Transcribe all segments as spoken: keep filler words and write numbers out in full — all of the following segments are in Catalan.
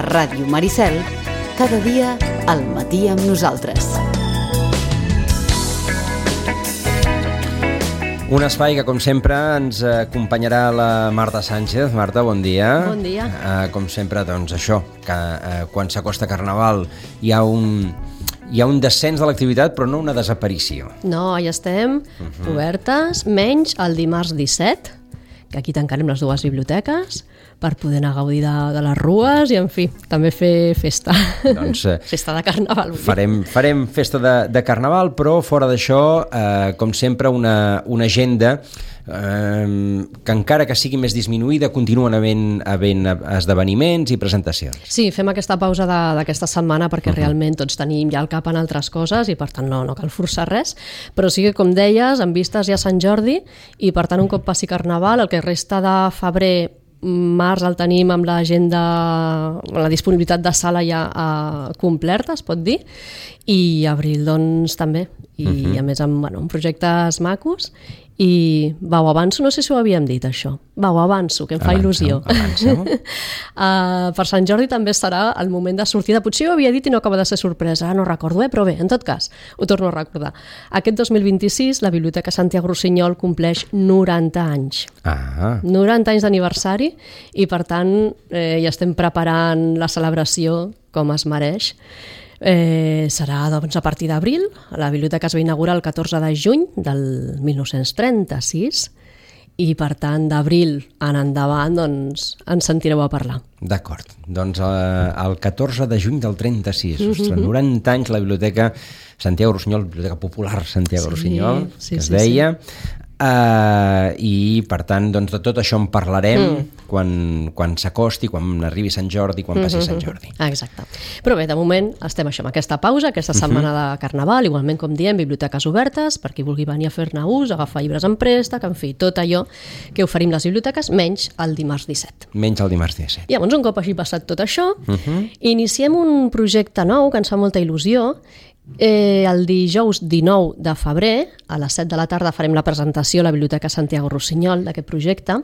Ràdio Maricel, cada dia al matí amb nosaltres. Un espai que, com sempre, ens acompanyarà la Marta Sánchez. Marta, bon dia. Bon dia. Uh, com sempre, doncs, això, que uh, quan s'acosta Carnaval hi ha un... Hi ha un descens de l'activitat, però no una desaparició. No, hi estem, uh-huh. obertes, menys el dimarts disset, que aquí tancarem les dues biblioteques per poder anar a gaudir de, de les rues i, en fi, també fer festa. Doncs, eh, festa de Carnaval. Farem, farem festa de, de Carnaval, però fora d'això, eh, com sempre, una, una agenda eh, que encara que sigui més disminuïda, continuen havent, havent esdeveniments i presentacions. Sí, fem aquesta pausa de, d'aquesta setmana perquè uh-huh. realment tots tenim ja el cap en altres coses i per tant no, no cal forçar res, però sí que, com deies, en vistes ja a Sant Jordi i per tant un cop passi Carnaval, el que resta de febrer, març el tenim amb l'agenda, la disponibilitat de sala ja uh, complerta, es pot dir, i abril doncs també, i uh-huh. a més amb, bueno, amb projectes macos. I va, ho avanço, no sé si ho havíem dit això, va, ho avanço, que em fa avanço, il·lusió. uh, per Sant Jordi també serà el moment de sortida, potser ho havia dit i no acaba de ser sorpresa, ara no recordo, eh? Però bé, en tot cas, ho torno a recordar. Aquest dos mil vint-i-sis la Biblioteca Santiago Rossinyol compleix noranta anys. Ah. noranta anys d'aniversari i per tant eh, ja estem preparant la celebració com es mereix. Eh, serà doncs, a partir d'abril. La biblioteca es va inaugurar el catorze de juny del mil nou-cents trenta-sis i per tant d'abril en endavant doncs, ens sentireu a parlar. D'acord, doncs eh, el catorze de juny del trenta-sis, mm-hmm. ostres, noranta anys la biblioteca Santiago Rossinyol, Biblioteca Popular Santiago sí, Rossinyol, sí, que es sí, deia sí. Uh, i per tant doncs, de tot això en parlarem mm. quan, quan s'acosti, quan arribi Sant Jordi, quan passi Sant Jordi. Exacte. Però bé, de moment estem això, amb aquesta pausa, aquesta setmana uh-huh. de Carnaval, igualment com diem, biblioteques obertes, per qui vulgui venir a fer-ne ús, agafar llibres en préstec, en fi, tot allò que oferim les biblioteques, menys el dimarts disset. Menys el dimarts disset. I llavors, un cop hagi passat tot això, uh-huh. iniciem un projecte nou que ens fa molta il·lusió. Eh, el dijous dinou de febrer a les set de la tarda farem la presentació a la Biblioteca Santiago Rossinyol d'aquest projecte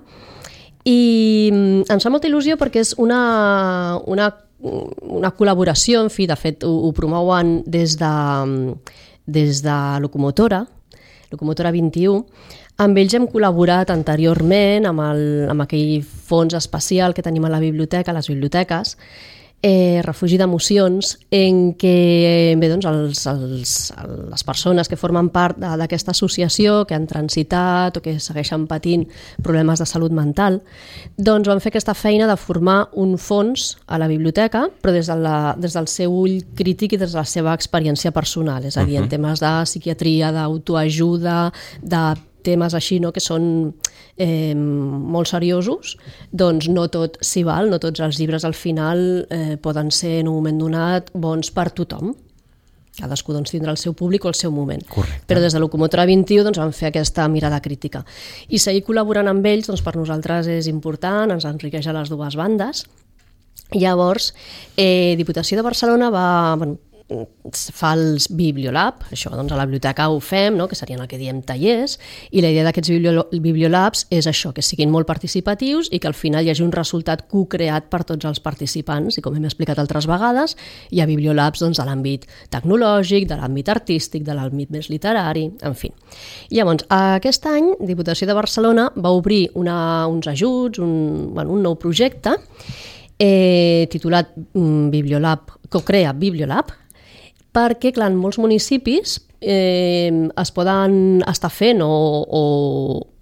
i ens fa molta il·lusió perquè és una, una, una col·laboració, en fi, de fet ho, ho promouen des de, des de Locomotora, Locomotora vint-i-u. Amb ells hem col·laborat anteriorment amb, el, amb aquell fons especial que tenim a la biblioteca, a les biblioteques, Eh, refugi d'emocions, en què bé, doncs, els, els, les persones que formen part d'aquesta associació, que han transitat o que segueixen patint problemes de salut mental, doncs van fer aquesta feina de formar un fons a la biblioteca, però des, de la, des del seu ull crític i des de la seva experiència personal, és a dir, uh-huh. en temes de psiquiatria, d'autoajuda, de temes així, no?, que són eh, molt seriosos, doncs no tot s'hi val, no tots els llibres al final eh, poden ser en un moment donat bons per tothom. Cadascú doncs, tindrà el seu públic o el seu moment. Correcte. Però des de Locomotora vint-i-u doncs, van fer aquesta mirada crítica. I seguir col·laborant amb ells doncs, per nosaltres és important, ens enriqueix a les dues bandes. Llavors, eh, Diputació de Barcelona va... Bueno, fa els Bibliolab, això doncs a la biblioteca ho fem, no? Que serien el que diem tallers, i la idea d'aquests Bibliolabs és això, que siguin molt participatius i que al final hi hagi un resultat co-creat per tots els participants, i com hem explicat altres vegades, hi ha Bibliolabs doncs, de l'àmbit tecnològic, de l'àmbit artístic, de l'àmbit més literari, en fi. I llavors, aquest any, Diputació de Barcelona va obrir una, uns ajuts, un, bueno, un nou projecte eh, titulat mm, Bibliolab, co-crea Bibliolab, perquè, clar, en molts municipis eh, es poden estar fent o, o,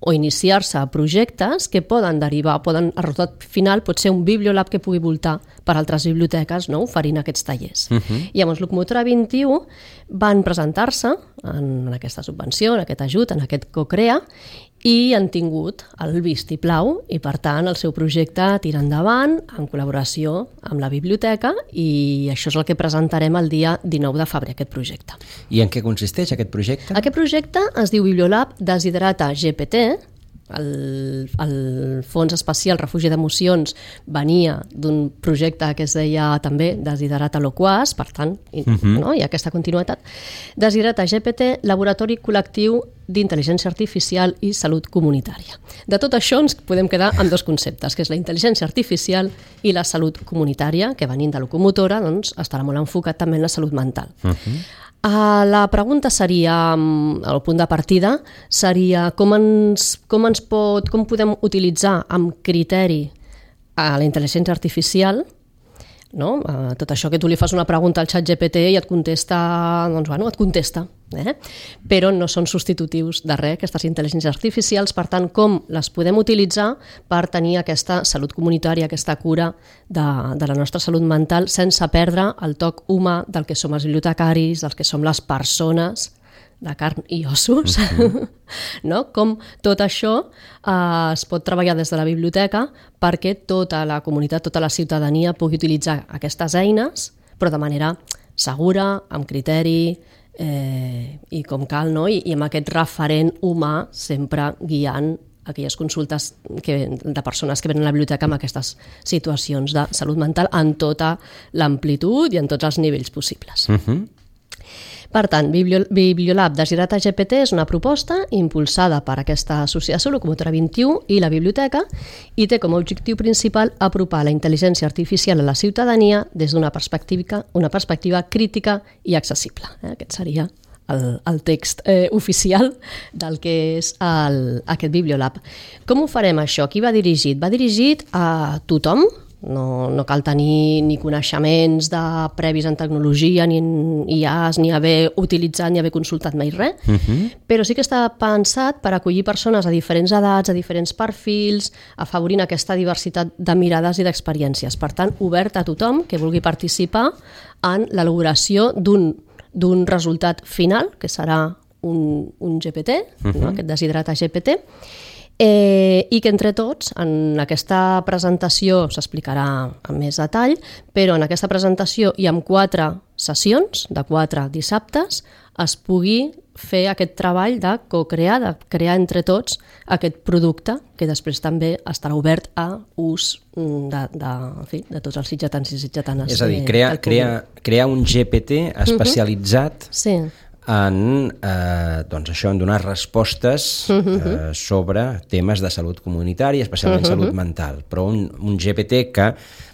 o iniciar-se projectes que poden derivar, poden, el resultat final pot ser un Bibliolab que pugui voltar per altres biblioteques, no?, oferint aquests tallers. Uh-huh. I llavors, Locomotora vint-i-u van presentar-se en, en aquesta subvenció, en aquest ajut, en aquest co-crea, i han tingut el vistiplau i, per tant, el seu projecte tira endavant en col·laboració amb la biblioteca i això és el que presentarem el dia dinou de febrer, aquest projecte. I en què consisteix aquest projecte? Aquest projecte es diu Bibliolab Desiderata G P T. El, el Fons Especial Refugi d'Emocions venia d'un projecte que es deia també Desiderata Loquaz, per tant, uh-huh. no? Hi ha aquesta continuïtat. Desiderata G P T, laboratori col·lectiu d'intel·ligència artificial i salut comunitària. De tot això ens podem quedar amb dos conceptes, que és la intel·ligència artificial i la salut comunitària, que venint de locomotora doncs, estarà molt enfocat també en la salut mental. Uh-huh. Uh, la pregunta seria, el punt de partida, seria com ens, com ens pot, com podem utilitzar amb criteri a la intel·ligència artificial, no? Uh, tot això que tu li fas una pregunta al xat G P T i et contesta, doncs bueno, et contesta, eh? Però no són substitutius de res aquestes intel·ligències artificials, per tant, com les podem utilitzar per tenir aquesta salut comunitària, aquesta cura de, de la nostra salut mental sense perdre el toc humà del que som els bibliotecaris, dels que som les persones de carn i ossos, uh-huh. no? Com tot això eh, es pot treballar des de la biblioteca perquè tota la comunitat, tota la ciutadania pugui utilitzar aquestes eines, però de manera segura, amb criteri eh, i com cal, no? I, i amb aquest referent humà sempre guiant aquelles consultes que, de persones que venen a la biblioteca amb aquestes situacions de salut mental en tota l'amplitud i en tots els nivells possibles. Uh-huh. Per tant, Bibliolab de Girata G P T és una proposta impulsada per aquesta associació Locomotora vint-i-u i la biblioteca i té com a objectiu principal apropar la intel·ligència artificial a la ciutadania des d'una perspectiva, una perspectiva crítica i accessible. Aquest seria el, el text eh, oficial del que és el, aquest Bibliolab. Com ho farem això? Qui va dirigit? Va dirigit a tothom. No, no cal tenir ni coneixements de previs en tecnologia, ni en I As, ni haver utilitzat, ni haver consultat mai res, uh-huh. però sí que està pensat per acollir persones a diferents edats, a diferents perfils, afavorint aquesta diversitat de mirades i d'experiències. Per tant, obert a tothom que vulgui participar en l'elaboració d'un, d'un resultat final, que serà un, un G P T, uh-huh. no? Aquest Desiderata G P T, Eh, i que entre tots, en aquesta presentació s'explicarà amb més detall, però en aquesta presentació i amb quatre sessions, de quatre dissabtes, es pugui fer aquest treball de co-crear, de crear entre tots aquest producte que després també estarà obert a ús de, de, en fi, de tots els sitgetans i sitgetanes. És a dir, crear, crear, crear un G P T especialitzat uh-huh. sí. en, eh, doncs això, en donar respostes eh, sobre temes de salut comunitària, especialment uh-huh. salut mental, però un, un G P T que,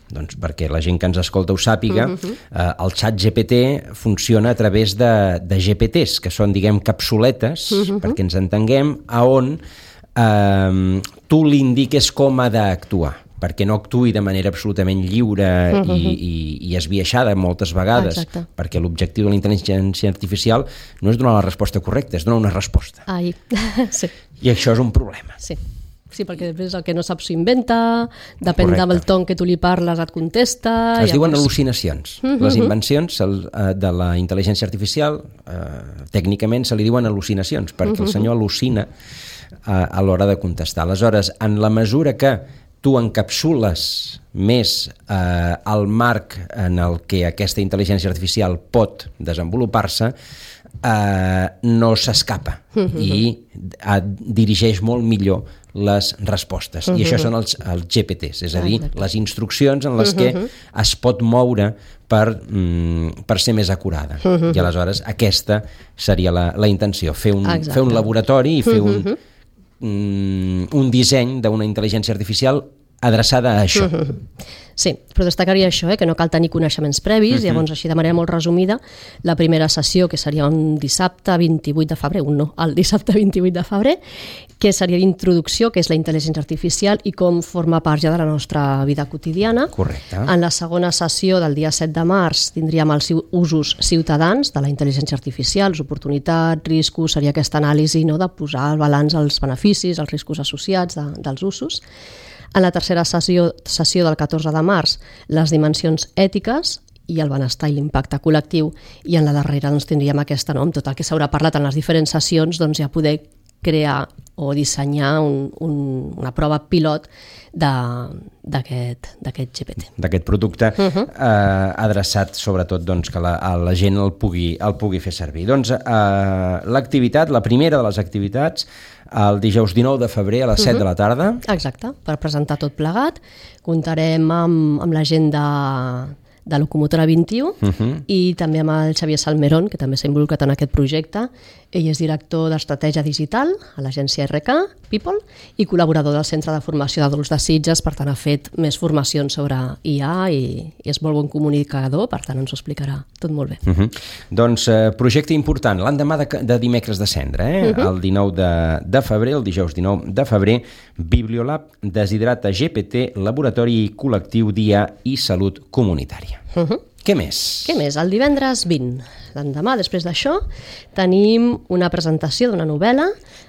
doncs, perquè la gent que ens escolta ho sàpiga, uh-huh. eh, el xat G P T funciona a través de, de G P Ts, que són, diguem, capsuletes, uh-huh. perquè ens entenguem, a on eh, tu li indiques com ha d'actuar, perquè no actuï de manera absolutament lliure uh-huh. i, i, i esbiaixada moltes vegades, Exacte. Perquè l'objectiu de la intel·ligència artificial no és donar la resposta correcta, és donar una resposta. Ai. sí. I això és un problema. Sí. Sí, perquè després el que no sap s'ho inventa, depèn Correcte. Del ton que tu li parles et contesta... Es llavors... diuen al·lucinacions. Uh-huh. Les invencions de la intel·ligència artificial, eh, tècnicament se li diuen al·lucinacions, perquè uh-huh. el senyor al·lucina eh, a l'hora de contestar. Aleshores, en la mesura que tu encapsules més eh, el marc en el que aquesta intel·ligència artificial pot desenvolupar-se, eh, no s'escapa uh-huh. i eh, dirigeix molt millor les respostes. Uh-huh. I això són els, els G P Ts, és a dir, Exacte. Les instruccions en les uh-huh. que es pot moure per, mm, per ser més acurada. Uh-huh. I aleshores aquesta seria la, la intenció, fer un, fer un laboratori i fer un... Uh-huh. un disseny d'una intel·ligència artificial adreçada a això. Uh-huh. Sí, però destacaria això, eh, que no cal tenir coneixements previs, uh-huh. llavors així de manera molt resumida, la primera sessió, que seria un dissabte vint-i-vuit de febrer, un no, el dissabte vint-i-vuit de febrer, que seria d'introducció, que és la intel·ligència artificial i com forma part ja de la nostra vida quotidiana. Correcte. En la segona sessió del dia set de març tindríem els usos ciutadans de la intel·ligència artificial, les oportunitats, riscos, seria aquesta anàlisi, no?, de posar al balanç els beneficis, els riscos associats de, dels usos. En la tercera sessió, sessió del catorze de març, les dimensions ètiques i el benestar i l'impacte col·lectiu, i en la darrera doncs, tindríem aquesta, no?, amb tot el que s'haurà parlat en les diferents sessions, doncs ja poder crear o dissenyar un, un, una prova pilot d'aquest G P T. D'aquest producte uh-huh. eh, adreçat sobretot doncs, que la, la gent el pugui, el pugui fer servir. Doncs eh, l'activitat, la primera de les activitats, el dijous dinou de febrer a les set uh-huh. de la tarda. Exacte, per presentar tot plegat. Comptarem amb, amb la gent de de Locomotora vint-i-u, Uh-huh. i també amb el Xavier Salmerón, que també s'ha involucrat en aquest projecte. Ell és director d'Estratègia Digital a l'agència R K, People, i col·laborador del Centre de Formació d'Adults de Sitges, per tant ha fet més formacions sobre I A i, i és molt bon comunicador, per tant ens ho explicarà tot molt bé. Uh-huh. Doncs eh, projecte important, l'endemà de, de dimecres de cendre, eh? Uh-huh. El dinou de, de febrer, el dijous dinou de febrer, Bibliolab, Desiderata G P T, Laboratori Col·lectiu Dia i Salut Comunitària. Uh-huh. Què més? Què més? El divendres vint, l'endemà, després d'això, tenim una presentació d'una novel·la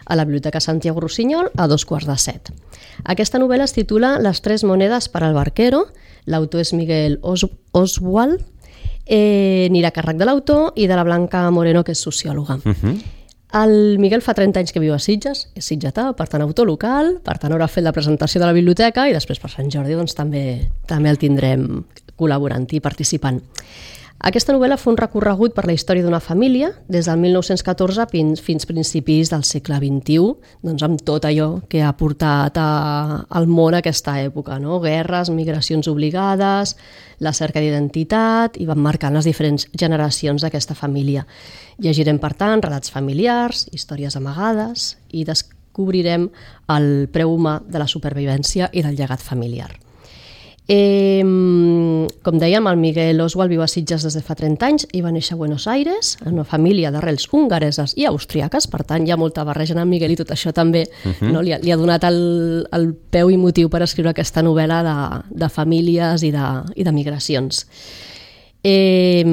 a la Biblioteca Santiago Rossinyol a dos quarts de set. Aquesta novel·la es titula Les tres monedes per al barquero, l'autor és Miguel Os Oswald, eh, anirà a càrrec de l'autor i de la Blanca Moreno, que és sociòloga. Uh-huh. El Miguel fa trenta anys que viu a Sitges, és sitgetà, per tant autor local, per tant haurà fet la presentació de la biblioteca i després per Sant Jordi doncs, també, també el tindrem col·laborant i participant. Aquesta novel·la fa un recorregut per la història d'una família des del mil nou-cents catorze fins, fins principis del segle vint-i-u, doncs amb tot allò que ha portat a, al món aquesta època, no? Guerres, migracions obligades, la cerca d'identitat, i van marcant les diferents generacions d'aquesta família. Llegirem, per tant, relats familiars, històries amagades i descobrirem el preu humà de la supervivència i del llegat familiar. Eh, com dèiem, el Miguel Oswald viu a Sitges des de fa trenta anys i va néixer a Buenos Aires, en una família d'arrels hongareses i austriaques, per tant hi ha molta barreja en el Miguel i tot això també uh-huh. no, li, ha, li ha donat el, el peu i motiu per escriure aquesta novel·la de, de famílies i de, i de migracions. Eh,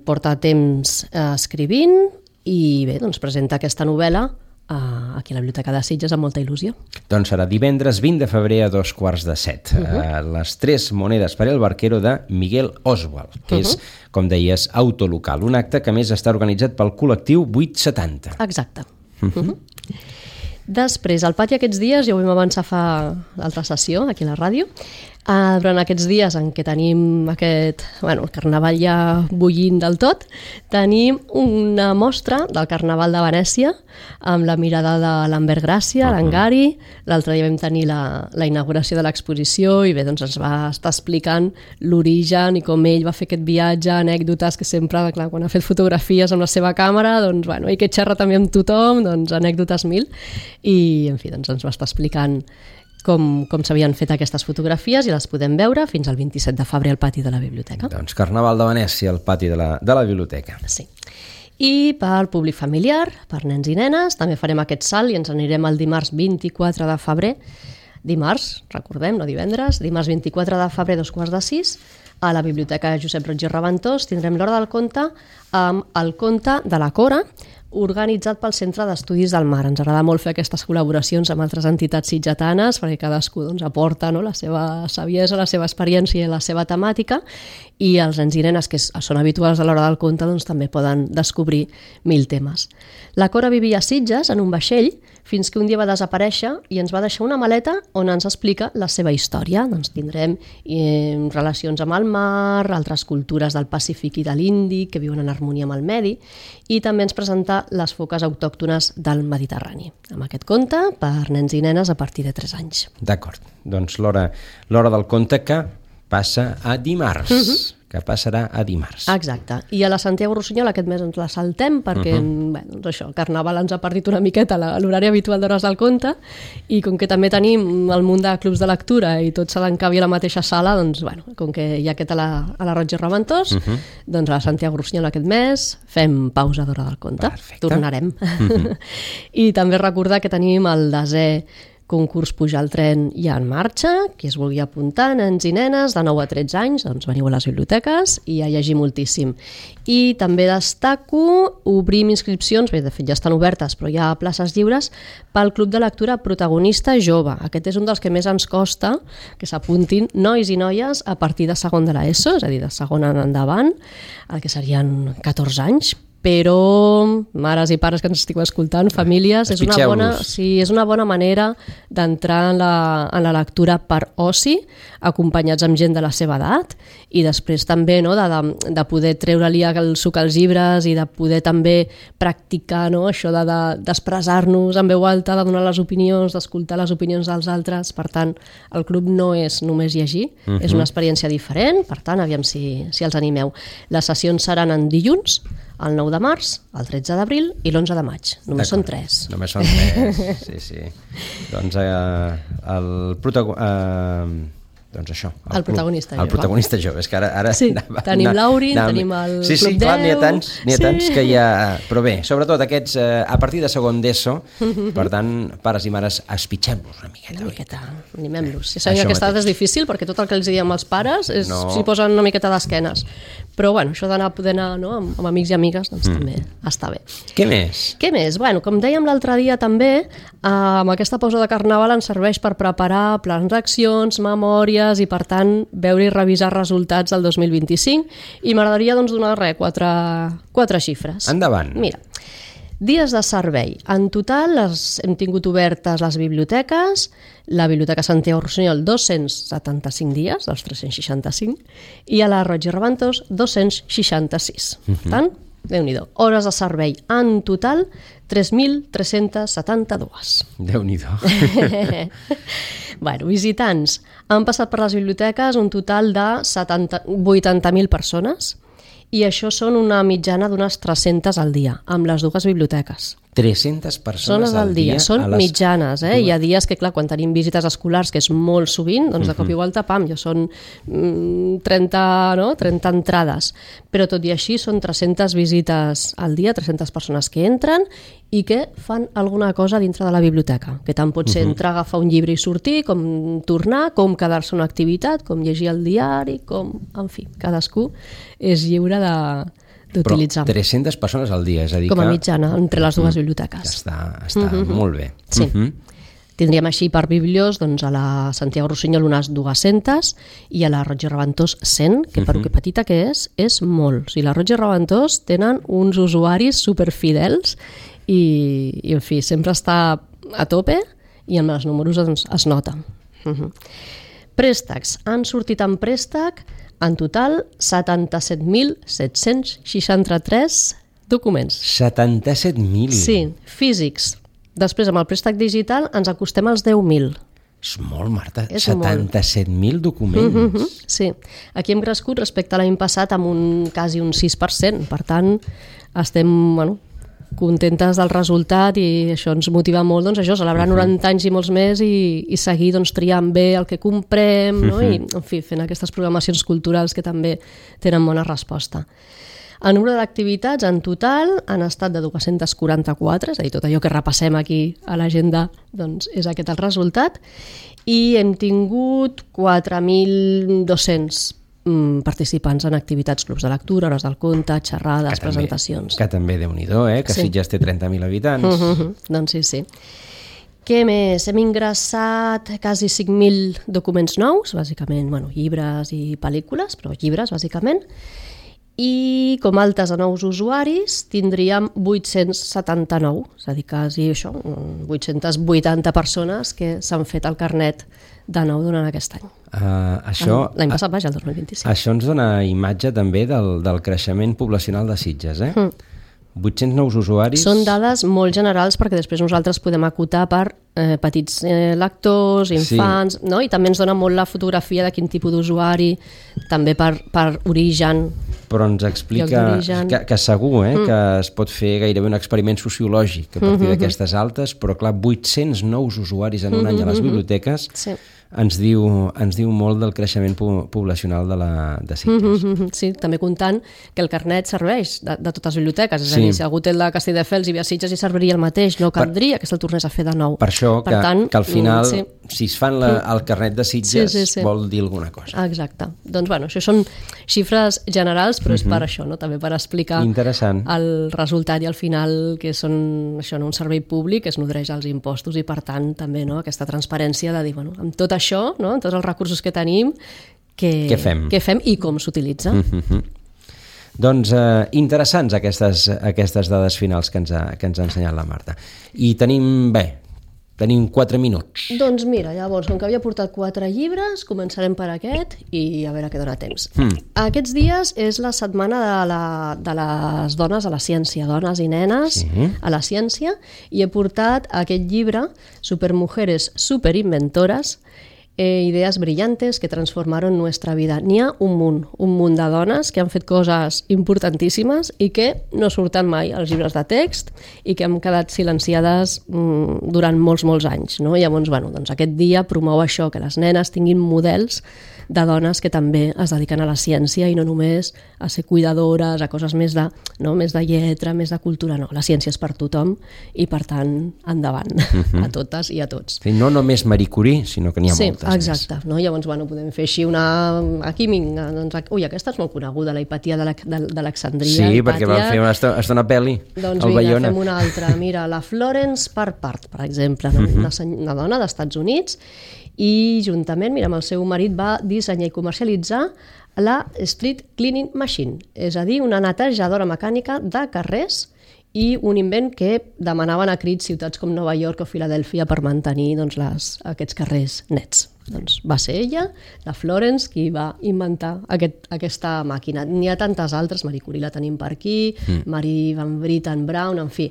porta temps eh, escrivint i bé, doncs presenta aquesta novel·la aquí a la Biblioteca de Sitges amb molta il·lusió. Doncs serà divendres vint de febrer a dos quarts de set. Uh-huh. uh, les tres monedes per el barquero de Miguel Oswald, que uh-huh. és, com deies, autolocal. Un acte que més està organitzat pel col·lectiu vuit setanta. Exacte. Uh-huh. Uh-huh. Després, al pati aquests dies, ja ho vam avançar fa l'altra sessió, aquí a la ràdio, Uh, durant aquests dies en què tenim aquest, bueno, el carnaval ja bullint del tot, tenim una mostra del Carnaval de Venècia amb la mirada de Lambert Gràcia, uh-huh. l'Angari. L'altre dia vam tenir la, la inauguració de l'exposició i bé, doncs ens va estar explicant l'origen i com ell va fer aquest viatge, anècdotes que sempre, clar, quan ha fet fotografies amb la seva càmera, doncs, bueno, i que xerra també amb tothom, doncs anècdotes mil, i en fi, doncs ens va estar explicant com, com s'havien fet aquestes fotografies i les podem veure fins al vint-i-set de febrer al pati de la biblioteca. Doncs Carnaval de Venècia al pati de la, de la biblioteca. Sí. I pel públic familiar, per nens i nenes, també farem aquest salt i ens anirem el dimarts vint-i-quatre de febrer, dimarts, recordem, no divendres, dimarts vint-i-quatre de febrer, dos quarts de sis, a la Biblioteca Josep Roig i Reventós tindrem l'Hora del Conte amb el conte de la Cora, organitzat pel Centre d'Estudis del Mar. Ens agrada molt fer aquestes col·laboracions amb altres entitats sitgetanes perquè cadascú doncs, aporta, no?, la seva saviesa, la seva experiència i la seva temàtica, i els nens i nenes que són habituals a l'Hora del Conte doncs, també poden descobrir mil temes. La Cora vivia a Sitges en un vaixell fins que un dia va desaparèixer i ens va deixar una maleta on ens explica la seva història. Doncs tindrem eh, relacions amb el mar, altres cultures del Pacífic i de l'Índic que viuen en harmonia amb el medi, i també ens presenta les foques autòctones del Mediterrani. Amb aquest conte per nens i nenes a partir de tres anys. D'acord. Doncs l'hora l'hora del conte que passa a dimarts. Uh-huh. que passarà a dimarts. Exacte. I a la Santiago Rossinyol aquest mes ens la saltem perquè uh-huh. bé, doncs això, el Carnaval ens ha partit una miqueta l'horari habitual d'Hores del Conte, i com que també tenim el munt de clubs de lectura i tot se l'encabi a la mateixa sala, doncs, bueno, com que hi ha aquest a la, a la Roig i Reventós, uh-huh. doncs a la Santiago Rossinyol aquest mes fem pausa d'Hora del Conte. Perfecte. Tornarem. Uh-huh. I també recordar que tenim el desè concurs Pujar al tren ja en marxa, qui es vulgui apuntar, nens i nenes de nou a tretze anys, doncs veniu a les biblioteques i a llegir moltíssim. I també destaco, obrim inscripcions, bé, de fet ja estan obertes, però hi ha places lliures pel Club de Lectura Protagonista Jove. Aquest és un dels que més ens costa que s'apuntin nois i noies a partir de segon de l'ESO, és a dir, de segon en endavant, el que serien catorze anys, però mares i pares que ens estigueu escoltant, famílies, és una, bona, sí, és una bona manera d'entrar en, la, en la lectura per oci, acompanyats amb gent de la seva edat, i després també no, de, de, de poder treure-li el suc als llibres i de poder també practicar no, això de, de, d'expressar-nos en veu alta, de donar les opinions, d'escoltar les opinions dels altres. Per tant, el club no és només llegir, uh-huh. és una experiència diferent, per tant, aviam si, si els animeu. Les sessions seran en dilluns, el nou de març, el tretze d'abril i l'onze de maig. Només són tres. Només són tres, sí, sí. Doncs eh, el protagonista... Eh, doncs això. El, el protagonista jove. El protagonista jove. És que ara... ara sí, anava, tenim l'Aurin, tenim el sí, sí, Club clar, deu... N'hi ha tants, n'hi ha sí. tants que hi ha... Però bé, sobretot aquests, eh, a partir de segon d'ESO, per tant, pares i mares, espitxem-los una miqueta. Una miqueta, animem-los. Sí, sabem que aquesta és difícil, perquè tot el que els diem als pares és no. s'hi posen una miqueta d'esquenes. Però, bueno, això d'anar poder anar no, amb, amb amics i amigues, doncs mm. també està bé. Què més? Què més? Bueno, com dèiem l'altre dia també, eh, amb aquesta pausa de Carnaval ens serveix per preparar plans d'accions, memòries i, per tant, veure i revisar resultats del dos mil vint-i-cinc, i m'agradaria doncs, donar res, quatre, quatre xifres. Endavant. Mira, dies de servei. En total les hem tingut obertes les biblioteques, la Biblioteca Santiago Rossinyol dos-cents setanta-cinc dies, dels tres-cents seixanta-cinc, i a la Roig i Reventós dos-cents seixanta-sis. Uh-huh. Per tant, Déu-n'hi-do. Hores de servei en total tres mil tres-cents setanta-dos. Déu-n'hi-do. Bueno, visitants. Han passat per les biblioteques un total de vuitanta mil persones, i això són una mitjana d'unes tres-centes al dia, amb les dues biblioteques. tres-centes persones al dia? Són les... mitjanes, eh? Dues. Hi ha dies que, clar, quan tenim visites escolars, que és molt sovint, doncs de cop i volta, pam, ja són mm, trenta, no? trenta entrades. Però tot i així són tres-centes visites al dia, tres-centes persones que entren i que fan alguna cosa dintre de la biblioteca, que tant pot ser uh-huh. entrar, agafar un llibre i sortir, com tornar, com quedar-se una activitat, com llegir el diari, com... En fi, cadascú és lliure de... d'utilitzar. Però tres-centes persones al dia, és a dir com a que... mitjana, entre les dues biblioteques. Ja està, està uh-huh. molt bé. Sí. Uh-huh. Tindríem així per biblios doncs, a la Santiago Rossinyol unes dues-centes i a la Roig i Reventós cent, que per uh-huh. que petita que és, és molt. O sigui, la Roig i Reventós tenen uns usuaris superfidels i, i, en fi, sempre està a tope i amb els números doncs, es nota. Uh-huh. Préstecs. Han sortit en préstec en total setanta-set mil set-cents seixanta-tres documents. setanta-set mil? Sí, físics. Després, amb el préstec digital, ens acostem als deu mil. És molt, Marta. És setanta-set mil documents. Mm-hmm, sí. Aquí hem crescut respecte a l'any passat amb un, quasi un sis per cent. Per tant, estem... Bueno, contentes del resultat i això ens motiva molt, doncs això, celebrar uh-huh. noranta anys i molts més i, i seguir doncs, triant bé el que comprem, no? Uh-huh. I, en fi, fent aquestes programacions culturals que també tenen bona resposta. El número d'activitats en total han estat de dos-cents quaranta-quatre, és a dir, tot allò que repassem aquí a l'agenda doncs, és aquest el resultat, i hem tingut quatre mil dos-cents participants en activitats, clubs de lectura, hores del conte, xerrades, que presentacions. També, que també Déu-n'hi-do, eh? Que sí. Sitges té trenta mil habitants. Uh-huh. Doncs sí, sí. Què més? Hem ingressat quasi cinc mil documents nous, bàsicament, bueno, llibres i pel·lícules, però llibres, bàsicament. I com altes a nous usuaris tindríem vuit-cents setanta-nou, és a dir, quasi això, vuit-cents vuitanta persones que s'han fet el carnet de nou durant aquest any. Uh, això, L'any passat, vaja, el dos mil vint-i-cinc. Això ens dona imatge també del, del creixement poblacional de Sitges, eh? Mm. vuit-cents nous usuaris... Són dades molt generals perquè després nosaltres podem acotar per eh, petits eh, lectors, infants, sí. no? I també ens dona molt la fotografia de quin tipus d'usuari, també per, per origen. Però ens explica que, que segur eh, mm. que es pot fer gairebé un experiment sociològic a partir mm-hmm. d'aquestes altes, però clar, vuit-cents nous usuaris en un mm-hmm. any a les biblioteques... Sí. Ens diu, ens diu molt del creixement po- poblacional de, la, de Sitges. Mm-hmm. Sí, també comptant que el carnet serveix de, de totes les biblioteques, és sí. a dir, si algú té el de Castelldefels i ve a Sitges i serviria el mateix, no caldria per, que se'l tornés a fer de nou. Per això per que, tant, que al final, sí. si es fan la, el carnet de Sitges, sí, sí, sí. vol dir alguna cosa. Exacte. Doncs bueno, això són xifres generals, però mm-hmm. és per això, no? També per explicar el resultat i al final que són això, no? un servei públic que es nodreix als impostos i per tant també no? aquesta transparència de dir, bueno, amb tot això, no? tots els recursos que tenim, que, què fem? què fem i com s'utilitza. Mm-hmm. Doncs eh, interessants aquestes, aquestes dades finals que ens, ha, que ens ha ensenyat la Marta. I tenim, bé, tenim quatre minuts. Doncs mira, llavors, com que havia portat quatre llibres, començarem per aquest i a veure què dona temps. Mm. Aquests dies és la setmana de, la, de les dones a la ciència, dones i nenes Sí. a la ciència, i he portat aquest llibre, Supermujeres superinventores, Eh, idees brillantes que transformaron nuestra vida. N'hi ha un munt, un munt de dones que han fet coses importantíssimes i que no surten mai als llibres de text i que han quedat silenciades mm, durant molts, molts anys. No? Llavors, bueno, doncs aquest dia promou això, que les nenes tinguin models de dones que també es dediquen a la ciència i no només a ser cuidadores, a coses més de, no? més de lletra, més de cultura. No, la ciència és per tothom i, per tant, endavant, uh-huh. a totes i a tots. Sí, no només Marie Curie, sinó que n'hi ha sí, moltes exacte. més. No? Llavors, bueno, podem fer així una... Aquí, doncs, ui, aquesta és molt coneguda, la Hipatia d'Alexandria. Sí, perquè van fer una estona, estona pel·li doncs al mira, Bayona. fem una altra. Mira, la Florence Parpart, per exemple, no? Uh-huh. una, una dona d'Estats Units, i juntament, mira, amb el seu marit va dissenyar i comercialitzar la Street Cleaning Machine, és a dir, una netejadora mecànica de carrers i un invent que demanaven a crits ciutats com Nova York o Filadèlfia per mantenir doncs, les, aquests carrers nets. Doncs va ser ella, la Florence, qui va inventar aquest, aquesta màquina. N'hi ha tantes altres, Marie Curie la tenim per aquí, mm. Marie Van Britten Brown, en fi,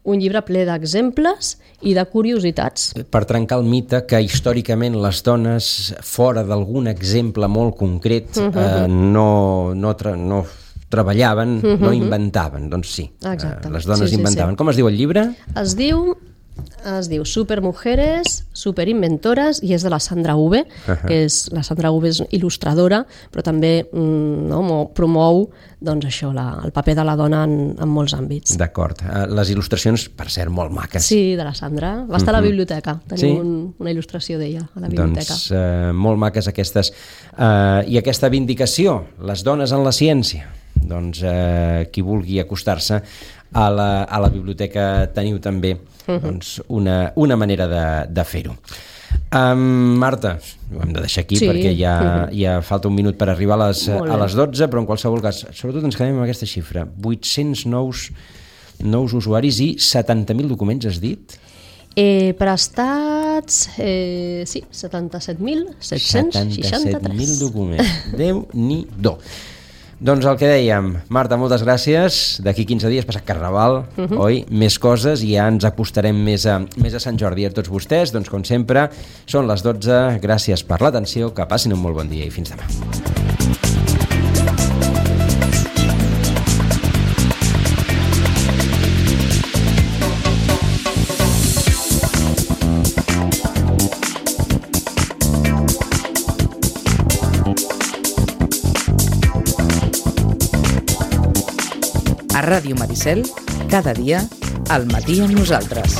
un llibre ple d'exemples i de curiositats. Per trencar el mite que històricament les dones, fora d'algun exemple molt concret, uh-huh. eh, no, no, tra no treballaven, uh-huh. no inventaven. Doncs sí, exacte. Eh, les dones sí, sí, inventaven. Sí. Com es diu el llibre? Es diu... es diu Supermujeres superinventores i és de la Sandra Uve, uh-huh. que és, la Sandra Uve és il·lustradora, però també mm, no, promou doncs això, la, el paper de la dona en, en molts àmbits. D'acord. Les il·lustracions, per cert, molt maques. Sí, de la Sandra. Va estar uh-huh. a la biblioteca. Tenim sí? un, una il·lustració d'ella a la biblioteca. Doncs eh, molt maques aquestes. Eh, I aquesta vindicació, les dones en la ciència. Doncs eh, qui vulgui acostar-se a la, a la biblioteca teniu també uh-huh. doncs, una, una manera de, de fer-ho. Um, Marta, ho hem de deixar aquí sí. perquè ja, uh-huh. ja falta un minut per arribar a les, a les dotze, però en qualsevol cas, sobretot ens quedem amb aquesta xifra, vuit-cents nous, nous usuaris i setanta mil documents, has dit? Eh, prestats, eh, sí, setanta-set mil set-cents seixanta-tres. setanta-set mil documents, Déu-n'hi-do. Doncs el que dèiem, Marta, moltes gràcies. D'aquí quinze dies passa Carnaval, uh-huh. oi? Més coses i ja ens acostarem més a, més a Sant Jordi. A tots vostès, doncs com sempre, són les dotze. Gràcies per l'atenció, que passin un molt bon dia i fins demà. A Ràdio Maricel, cada dia, al matí amb nosaltres.